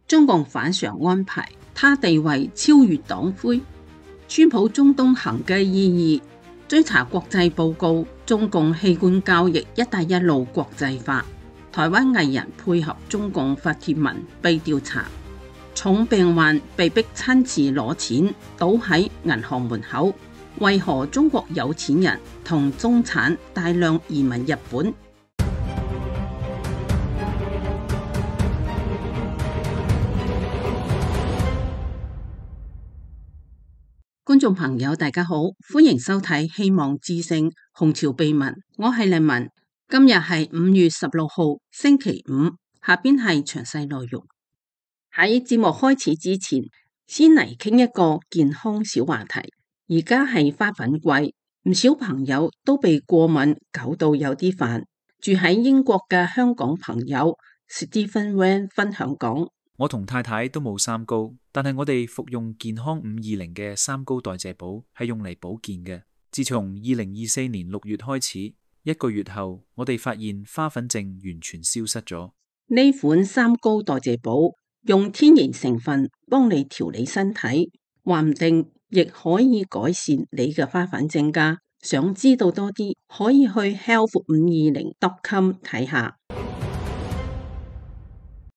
中共反常安排，他地位超越黨魁。川普中東行嘅意義，追查國際報告，中共器官交易一帶一路國際化。台灣藝人配合中共發帖文被調查，重病患被逼親自攞錢，倒喺銀行門口。為何中國有錢人同中產大量移民日本？觀眾朋友大家好，歡迎收睇《希望之聲·紅潮秘聞》，我係麗文。今日係5月16號星期五，下邊係詳細內容。喺節目開始之前，先嚟傾一個健康小話題。而家係花粉季，唔少朋友都被過敏搞到有啲煩。住喺英國嘅香港朋友 Stephen Wan 分享講：我同太太都冇三高，但係我哋服用健康520嘅三高代謝寶係用嚟保健嘅。自從2024年6月開始，1個月後，我哋發現花粉症完全消失咗。呢款三高代謝寶用天然成分幫你調理身體，話唔定亦可以改善你嘅花粉症㗎。想知道多啲，可以去 health520.com 睇下。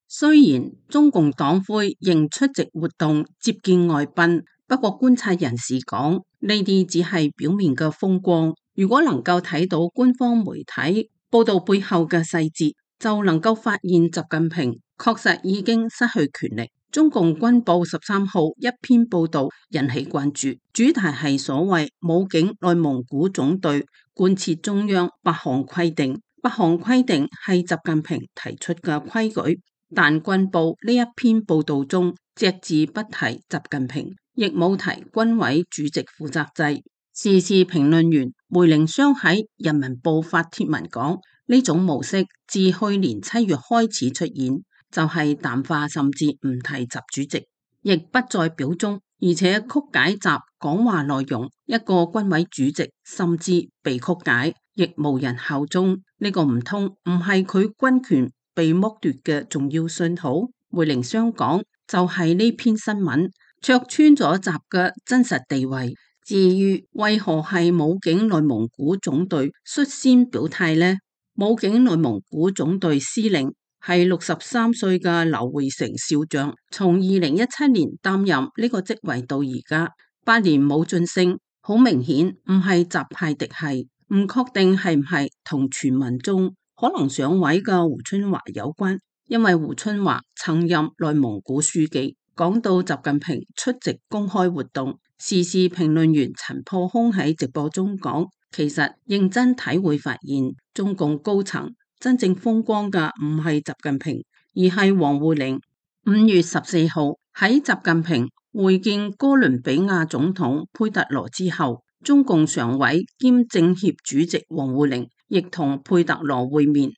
雖然中共黨魁仍出席活動接見外賓，不過觀察人士講，呢啲只係表面嘅風光。如果能夠睇到官方媒體報道背後嘅細節，就能夠發現習近平確實已經失去權力。中共軍報13號一篇報道引起關注，主題係所謂武警內蒙古總隊貫徹中央8項規定。8項規定係習近平提出嘅規矩，但軍報呢一篇報道中隻字不提習近平，亦冇提軍委主席負責制。時事評論員梅凌湘喺人民報發帖文講，呢種模式自去年7月開始出現，就係淡化甚至唔提習主席，亦不再表忠，而且曲解習講話內容。一個軍委主席甚至被曲解，亦無人效忠。呢個唔通唔係佢軍權被剝奪嘅重要信號？梅凌湘講，就係呢篇新聞戳穿咗習嘅真實地位。至於為何係武警內蒙古總隊率先表態呢？武警內蒙古總隊司令係63歲嘅劉會成少將，從2017年擔任呢個職位到而家8年冇晉升，好明顯唔係習派嫡系，唔確定係唔係同傳聞中可能上位嘅胡春華有關，因為胡春華曾任內蒙古書記。講到習近平出席公開活動，時事評論員陳破空喺直播中講，其實認真睇會發現，中共高層真正風光嘅唔係習近平，而係王滬寧。5月14號喺習近平會見哥倫比亞總統佩特羅之後，中共常委兼政協主席王滬寧亦同佩特羅會面。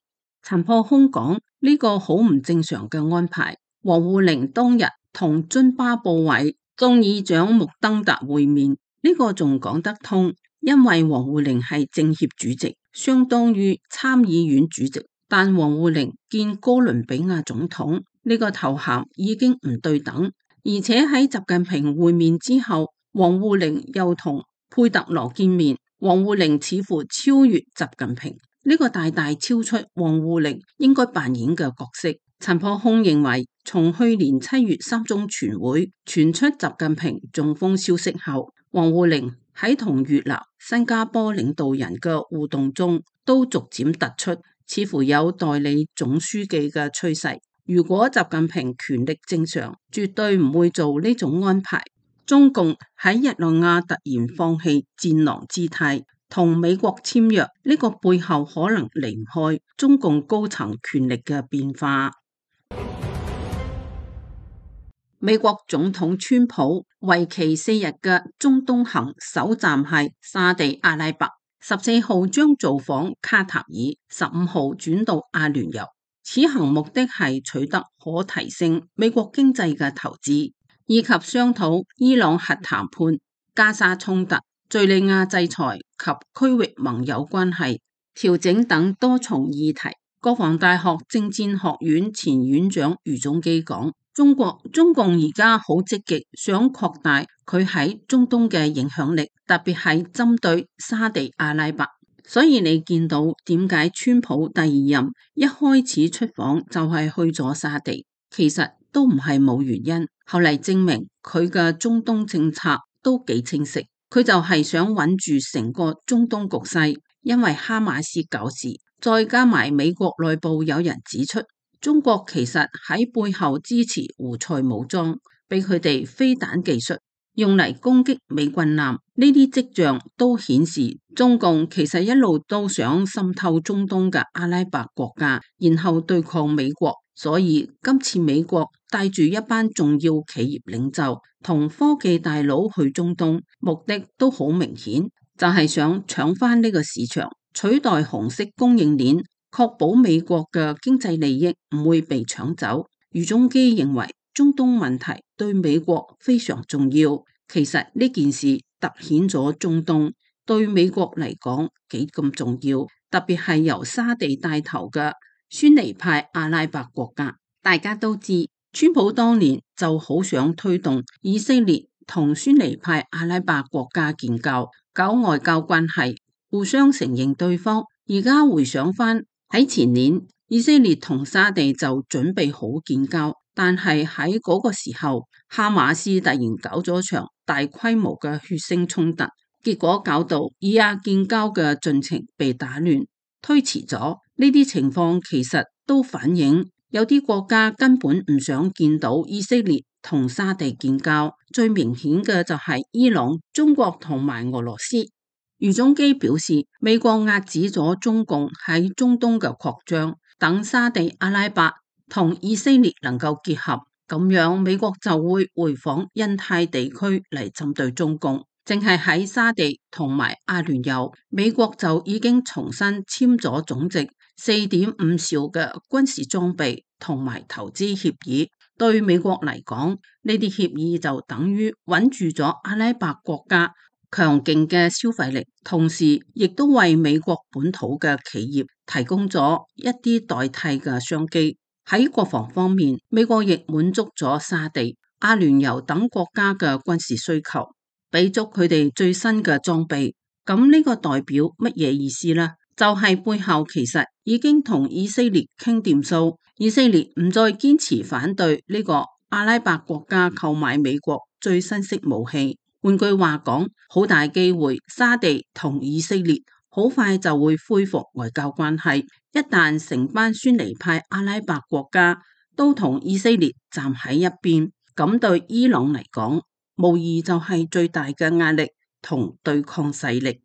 陳破空講，呢個好唔正常嘅安排。王滬寧當日同津巴布韋眾議長穆登特會面，呢個仲講得通，因為王滬寧係政協主席，相當於參議院主席。但王滬寧見哥倫比亞總統，呢個頭銜已經唔對等，而且喺習近平會面之後，王滬寧又同佩特羅見面，王滬寧似乎超越習近平，呢個大大超出王滬寧應該扮演嘅角色。陳破空認為，從去年7月3中全會傳出習近平中風消息後，王滬寧喺同越南、新加坡領導人嘅互動中都逐漸突出，似乎有代理總書記嘅趨勢。如果習近平權力正常，絕對唔會做呢種安排。中共喺日內瓦突然放棄戰狼姿態，同美國簽約，呢個背後可能離唔開中共高層權力嘅變化。美國總統川普為期4日嘅中東行首站係沙地阿拉伯，14號將造訪卡塔爾，15號轉到阿聯酋。此行目的係取得可提升美國經濟嘅投資，以及商討伊朗核談判、加沙衝突、敘利亞制裁及區域盟友關係調整等多重議題。國防大學政戰學院前院長余宗基講，中共而家好積極想擴大佢喺中東嘅影響力，特別係針對沙地阿拉伯。所以你見到點解川普第二任一開始出訪就係去咗沙地，其實都唔係冇原因。後嚟證明佢嘅中東政策都幾清晰，佢就係想穩住成個中東局勢，因為哈馬斯搞事，再加埋美國內部有人指出，中國其實喺背後支持胡塞武裝，俾佢哋飛彈技術用嚟攻擊美軍艦，呢啲跡象都顯示中共其實一路都想滲透中東嘅阿拉伯國家，然後對抗美國。所以今次美國帶住一班重要企業領袖同科技大佬去中東，目的都好明顯，就係想搶翻呢個市場，取代紅色供應鏈，確保美國嘅經濟利益唔會被搶走。余宗基認為中東問題對美國非常重要，其實呢件事凸顯咗中東對美國嚟講幾咁重要，特別係由沙地帶頭嘅遜尼派阿拉伯國家。大家都知，川普當年就好想推動以色列同遜尼派阿拉伯國家建交，搞外交關係，互相承認對方。而家回想翻喺前年，以色列同沙地就準備好建交，但係喺嗰個時候，哈馬斯突然搞咗場大規模嘅血腥衝突，結果搞到以阿建交嘅進程被打亂，推遲咗。呢啲情況其實都反映有啲國家根本唔想見到以色列同沙地建交，最明顯嘅就係伊朗、中國同埋俄羅斯。余宗基表示，美國壓止咗中共喺中東嘅擴張，等沙地阿拉伯同以色列能夠結合，咁樣美國就會回訪印太地區嚟針對中共。淨係喺沙地同埋阿聯酋，美國就已經重新簽咗總值4.5兆嘅軍事裝備同埋投資協議。對美國嚟講，呢啲協議就等於穩住咗阿拉伯國家強勁嘅消費力，同時亦都為美國本土嘅企業提供咗一啲代替嘅商機。喺國防方面，美國亦滿足咗沙地、阿聯酋等國家嘅軍事需求，俾足佢哋最新嘅裝備。咁呢個代表乜嘢意思呢？就係背後其實已經同以色列傾掂數，以色列唔再堅持反對呢個阿拉伯國家購買美國最新式武器。換句話講，好大機會沙地同以色列好快就會恢復外交關係。一旦成班遜尼派阿拉伯國家都同以色列站喺一邊，咁對伊朗嚟講，無疑就係最大嘅壓力同對抗勢力。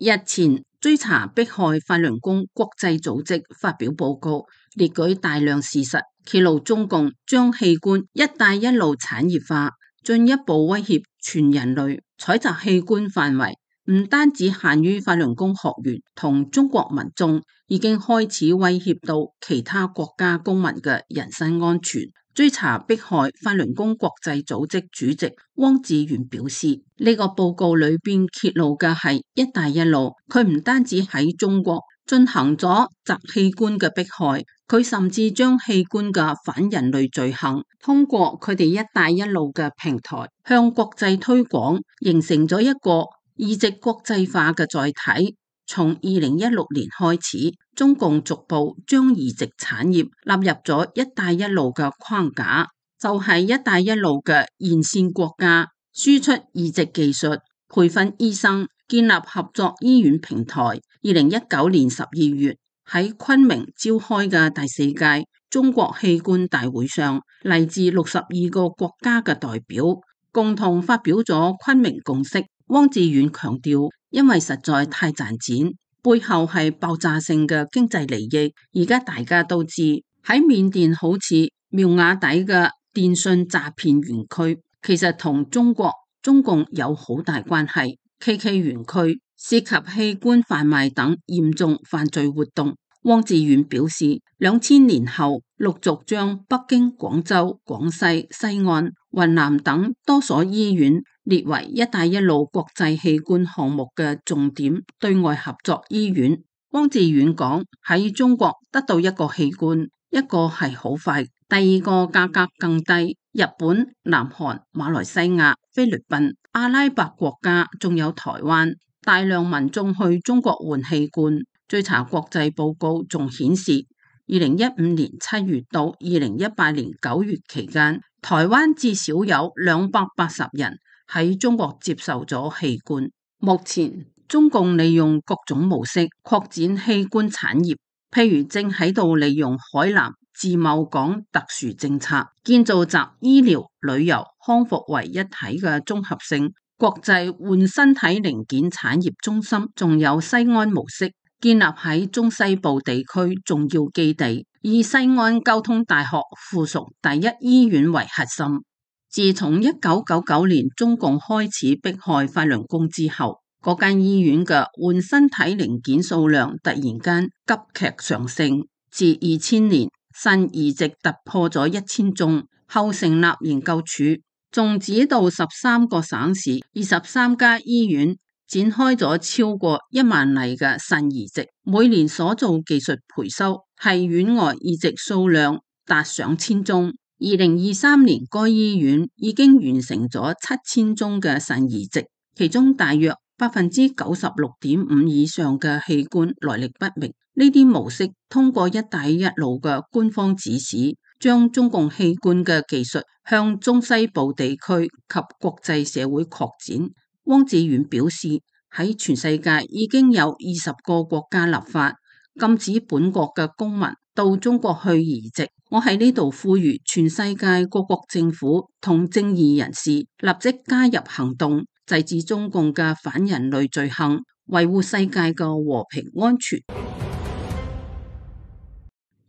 日前追查迫害法輪功國際組織發表報告，列舉大量事實，揭露中共將器官一帶一路產業化，進一步威脅全人類。採集器官範圍唔單止限於法輪功學員同中國民眾，已經開始威脅到其他國家公民嘅人身安全。追查迫害法輪功國際組織主席汪志源表示，呢個報告裏邊揭露嘅係一帶一路，佢唔單止喺中國進行咗集器官嘅迫害，佢甚至將器官嘅反人類罪行通過佢哋一帶一路嘅平台向國際推廣，形成咗一個移植國際化嘅載體。從2016年開始，中共逐步將移植產業納入咗一帶一路嘅框架，就係一帶一路嘅沿線國家輸出移植技術、培訓醫生、建立合作醫院平台。2019年12月喺昆明召開嘅第4屆中國器官大會上，嚟自62個國家嘅代表共同發表咗昆明共識。汪志遠強調，因為實在太賺錢，背後係爆炸性嘅經濟利益。而家大家都知，喺緬甸好似苗瓦底嘅電信詐騙園區，其實同中共有好大關係。KK 園區涉及器官販賣等嚴重犯罪活動。汪志遠表示，2000年後陸續將北京、廣州、廣西、西安、雲南等多所醫院列為一帶一路國際器官項目嘅重點對外合作醫院。汪志遠講，喺中國得到一個器官，一個係好快，第二個價格更低。日本、南韓、馬來西亞、菲律賓、阿拉伯國家，仲有台灣，大量民眾去中國換器官。追查國際報告仲顯示，2015年7月到2018年9月期間，台灣至少有280人喺中國接受咗器官。目前中共利用各種模式擴展器官產業，譬如正喺度利用海南自貿港特殊政策，建造集醫療、旅遊、康復為一體嘅綜合性國際換身體零件產業中心，仲有西安模式，建立喺中西部地區重要基地，以西安交通大學附屬第一醫院為核心。自從1999年中共開始迫害法輪功之後，嗰間醫院嘅換身體零件數量突然間急劇上升，自2000年腎移植突破咗1000宗，後成立研究處，仲指導13個省市、23家醫院展開咗超過1萬例嘅腎移植，每年所做技術培修係院外移植數量達上千宗。2023年該醫院已經完成咗7000宗嘅腎移植，其中大約96.5%以上嘅器官來歷不明。呢啲模式通過一帶一路嘅官方指使，將中共器官嘅技術向中西部地區及國際社會擴展。汪志遠表示，喺全世界已經有20個國家立法禁止本國嘅公民到中國去移植。我喺呢度呼籲全世界各國政府同正義人士立即加入行動，制止中共嘅反人類罪行，維護世界嘅和平安全。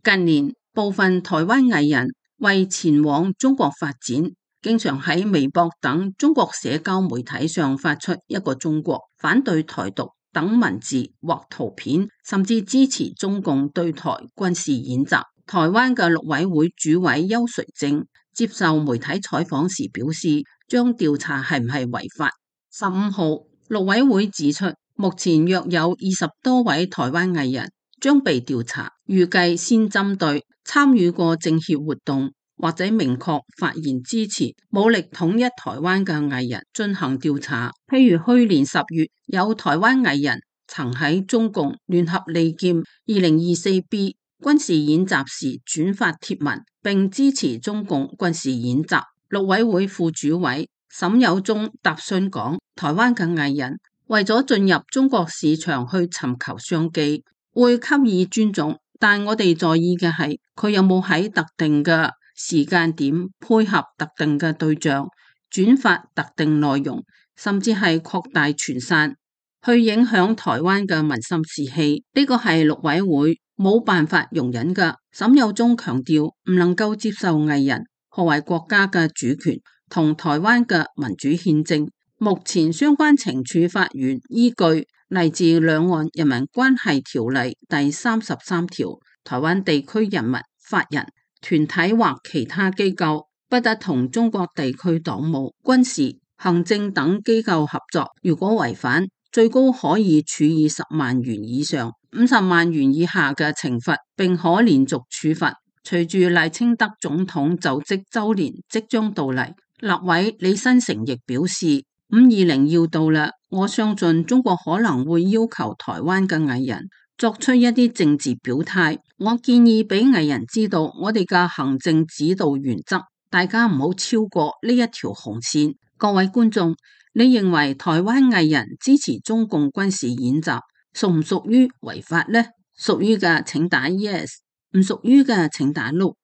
近年，部分台灣藝人為前往中國發展，經常喺微博等中國社交媒體上發出一個中國、反對台獨等文字或圖片，甚至支持中共對台軍事演習。台灣嘅陸委會主委邱垂正接受媒體採訪時表示，將調查係唔係違法。15號，陸委會指出，目前約有20多位台灣藝人將被調查，預計先針對參與過政協活動或者明確發言支持武力統一台灣嘅藝人進行調查。譬如去年10月，有台灣藝人曾喺中共聯合利劍 2024B 軍事演習時轉發貼文，並支持中共軍事演習。陸委會副主委沈有忠答詢講，台灣嘅藝人為咗進入中國市場去尋求商機，會給予尊重，但我哋在意嘅係佢有冇喺特定嘅時間點配合特定嘅對象轉發特定內容，甚至係擴大傳散，去影響台灣嘅民心士氣。呢個係陸委會冇辦法容忍嘅。沈有忠強調，唔能夠接受藝人破壞國家嘅主權同台灣嘅民主憲政。目前相關懲處法源依據嚟自《兩岸人民關係條例》第33條，台灣地區人民、法人、團體或其他機構不得同中國地區黨務、軍事、行政等機構合作，如果違反，最高可以處以10萬元以上50萬元以下嘅懲罰，並可連續處罰。隨住賴清德總統就職週年即將到嚟，立委李新成亦表示520要到啦，我相信中國可能會要求台灣嘅藝人作出一啲政治表態。我建議俾藝人知道我哋嘅行政指導原則，大家唔好超過呢一條紅線。各位觀眾，你認為台灣藝人支持中共軍事演習屬唔屬於違法呢？屬於嘅請打 yes， 唔屬於嘅請打 no。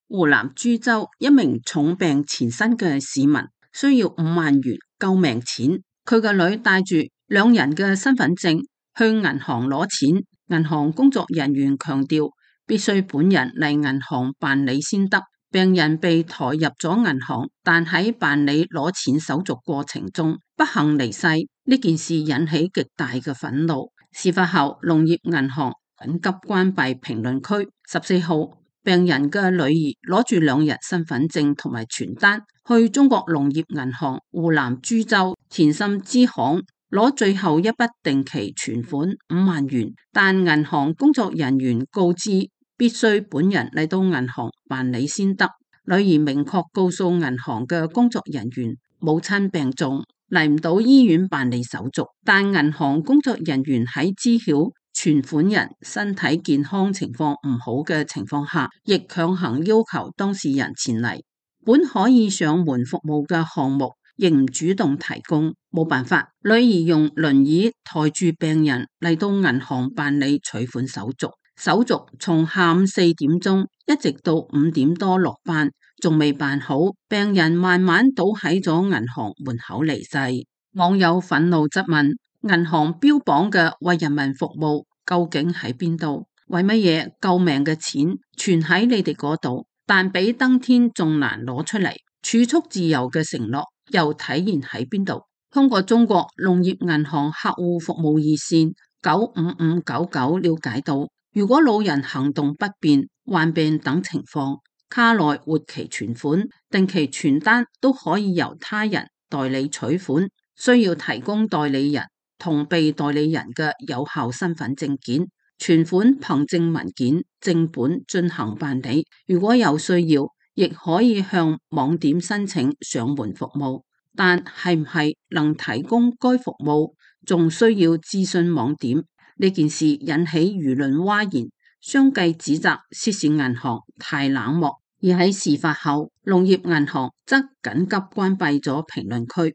湖南株洲一名重病纏身嘅市民需要5萬元救命錢，佢個女帶住2人嘅身份證去銀行攞錢，銀行工作人員強調必須本人嚟銀行辦理先得。病人被抬入咗銀行，但喺辦理攞錢手續過程中不幸離世。呢件事引起極大嘅憤怒。事發後，農業銀行緊急關閉評論區。14號，病人嘅女兒攞住2人身份證同埋傳單去中國農業銀行湖南株洲田心支行攞最後一筆定期存款5萬元，但銀行工作人員告知必須本人嚟到銀行辦理先得。女兒明確告訴銀行嘅工作人員，母親病重，嚟唔到醫院辦理手續，但銀行工作人員喺知曉存款人身體健康情況唔好嘅情況下，亦強行要求當事人前嚟。本可以上門服務嘅項目，亦唔主動提供，冇辦法，女兒用輪椅抬住病人嚟到銀行辦理取款手續。手續從下午4點鐘一直到5點多落班，仲未辦好，病人慢慢倒喺咗銀行門口離世。網友憤怒質問：銀行標榜嘅為人民服務究竟喺邊度？為乜嘢救命嘅錢存喺你哋嗰度，但比登天仲難攞出嚟？儲蓄自由嘅承諾又體現喺邊度？通過中國農業銀行客戶服務熱線95599了解到，如果老人行動不便、患病等情況，卡內活期存款、定期存單都可以由他人代理取款，需要提供代理人同被代理人嘅有效身份證件、存款憑證文件、正本進行辦理。如果有需要，亦可以向網點申請上門服務，但係唔係能提供該服務，仲需要諮詢網點。呢件事引起輿論譁然，相繼指責涉事銀行太冷漠，而喺事發後，農業銀行則緊急關閉咗評論區。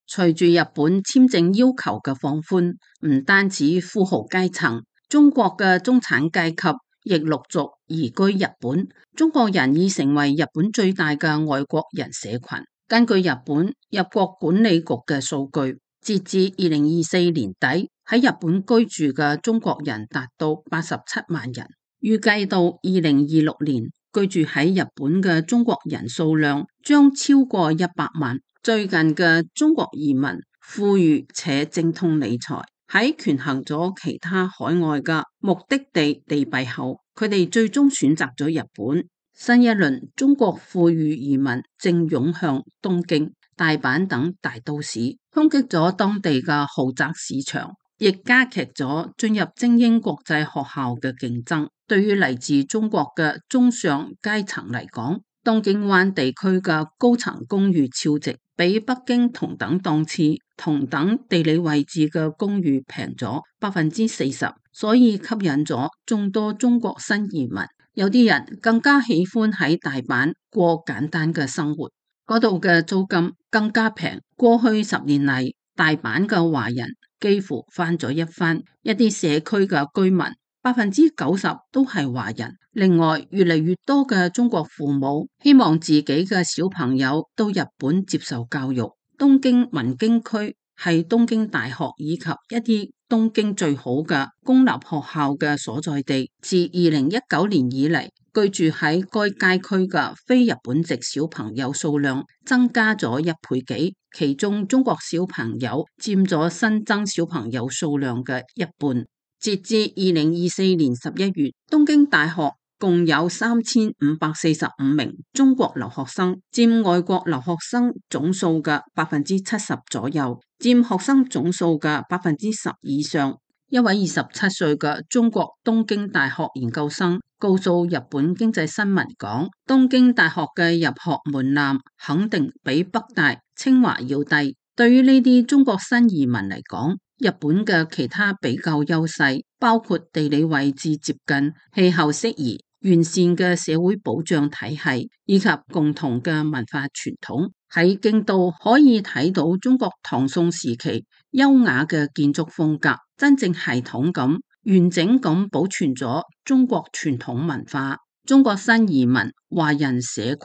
隨住日本簽證要求嘅放寬，唔單止富豪階層，中國嘅中產階級亦陸續移居日本。中國人已成為日本最大嘅外國人社群。根據日本入國管理局嘅數據，截至2024年底，喺日本居住嘅中國人達到87萬人。預計到2026年，居住喺日本嘅中國人數量將超過100萬。最近嘅中國移民富裕且精通理財，喺權衡咗其他海外嘅目的地利弊後，佢哋最終選擇咗日本。新一輪中國富裕移民正湧向東京、大阪等大都市，衝擊咗當地嘅豪宅市場，亦加劇咗進入精英國際學校嘅競爭。對於嚟自中國嘅中上階層嚟講，東京灣地區嘅高層公寓超值，比北京同等檔次、同等地理位置嘅公寓平咗40%，所以吸引咗眾多中國新移民。有啲人更加喜歡喺大阪過簡單嘅生活，嗰度嘅租金更加平。過去10年嚟，大阪嘅華人幾乎翻咗一番，一啲社區嘅居民90%都係華人。另外，越嚟越多嘅中國父母希望自己嘅小朋友到日本接受教育。東京文京區係東京大學以及一啲東京最好嘅公立學校嘅所在地。自2019年以嚟，居住喺該街區嘅非日本籍小朋友數量增加咗1倍幾，其中中國小朋友佔咗新增小朋友數量嘅一半。截至2024年11月，東京大學共有3545名中國留學生，佔外國留學生總數嘅70%左右，佔學生總數嘅10%以上。一位27歲嘅中國東京大學研究生告訴日本經濟新聞講，東京大學嘅入學門檻肯定比北大、清華要低。對於呢啲中國新移民嚟講，日本嘅其他比較優勢包括地理位置接近、氣候適宜、完善嘅社會保障體系以及共同嘅文化傳統。喺京都可以睇到中國唐宋時期優雅嘅建築風格，真正系統咁、完整咁保存咗中國傳統文化。中國新移民華人社群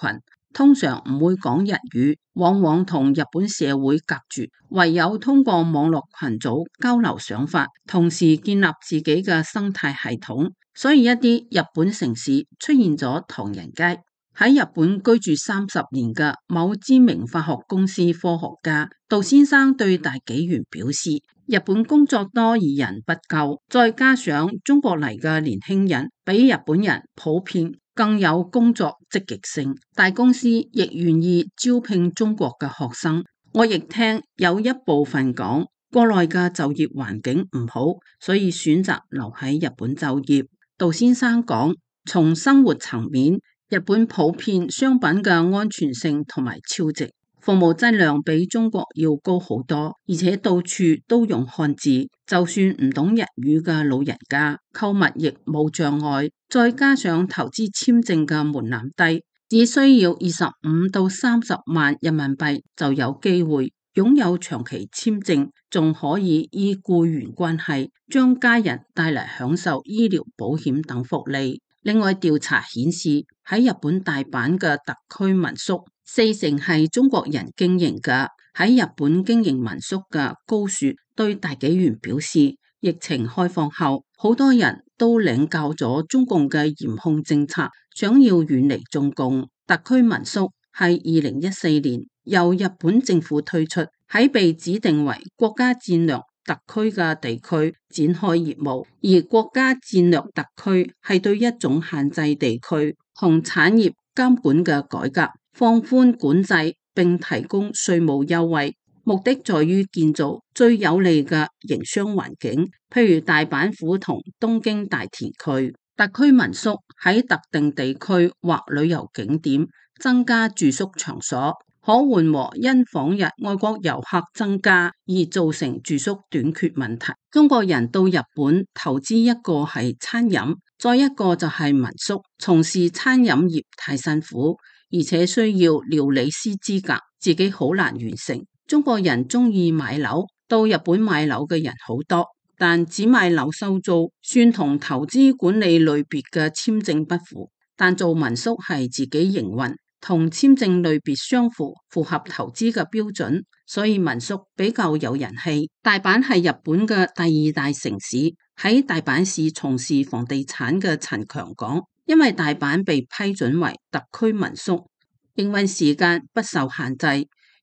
通常唔會講日語，往往同日本社會隔絕，唯有通過網絡群組交流想法，同時建立自己嘅生態系統。所以一啲日本城市出現咗唐人街。喺日本居住30年嘅某知名化學公司科學家杜先生對大紀元表示，日本工作多而人不夠，再加上中國嚟嘅年輕人比日本人普遍更有工作積極性，大公司亦願意招聘中國嘅學生。我亦聽有一部分講國內嘅就業環境唔好，所以選擇留喺日本就業。杜先生講，從生活層面，日本普遍商品嘅安全性同埋超值，服務質量比中國要高好多，而且到處都用漢字，就算唔懂日語嘅老人家購物亦冇障礙。再加上投資簽證嘅門檻低，只需要25到30萬人民幣就有機會擁有長期簽證，仲可以依僱員關係將家人帶嚟享受醫療保險等福利。另外調查顯示，喺日本大阪嘅特區民宿，40%係中國人經營嘅。喺日本經營民宿嘅高雪對大紀元表示，疫情開放後，好多人都領教咗中共嘅嚴控政策，想要遠離中共。特區民宿係2014年由日本政府推出，喺被指定為國家戰略特區嘅地區展開業務，而國家戰略特區係對一種限制地區同產業監管嘅改革，放寬管制並提供稅務優惠，目的在於建造最有利嘅營商環境，譬如大阪府同東京大田區。特區民宿喺特定地區或旅遊景點增加住宿場所，可緩和因訪日外國遊客增加而造成住宿短缺問題。中國人到日本投資，一個係餐飲，再一個就係民宿。從事餐飲業太辛苦，而且需要料理師資格，自己好難完成。中國人中意買樓，到日本買樓嘅人好多，但只買樓收租，算同投資管理類別嘅簽證不符。但做民宿係自己營運，同簽證類別相符，符合投資嘅標準，所以民宿比較有人氣。大阪係日本嘅第2大城市，喺大阪市從事房地產嘅陳強講，因為大阪被批准為特區民宿，營運時間不受限制，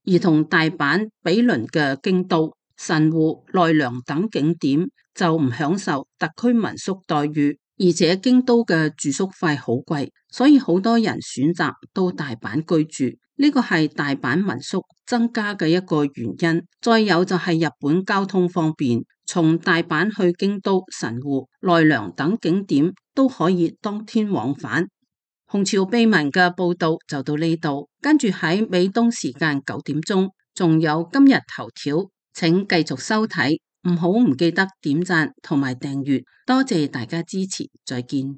而同大阪比鄰嘅京都、神戶、奈良等景點就唔享受特區民宿待遇，而且京都嘅住宿費好貴，所以好多人選擇到大阪居住。呢個係大阪民宿增加嘅一個原因。再有就係日本交通方便，從大阪去京都、神戶、奈良等景點都可以當天往返。紅潮秘聞嘅報道就到呢度，跟住喺美東時間9點鐘，仲有今日頭條，請繼續收睇，唔記得點讚同埋訂閱，多謝大家支持，再見。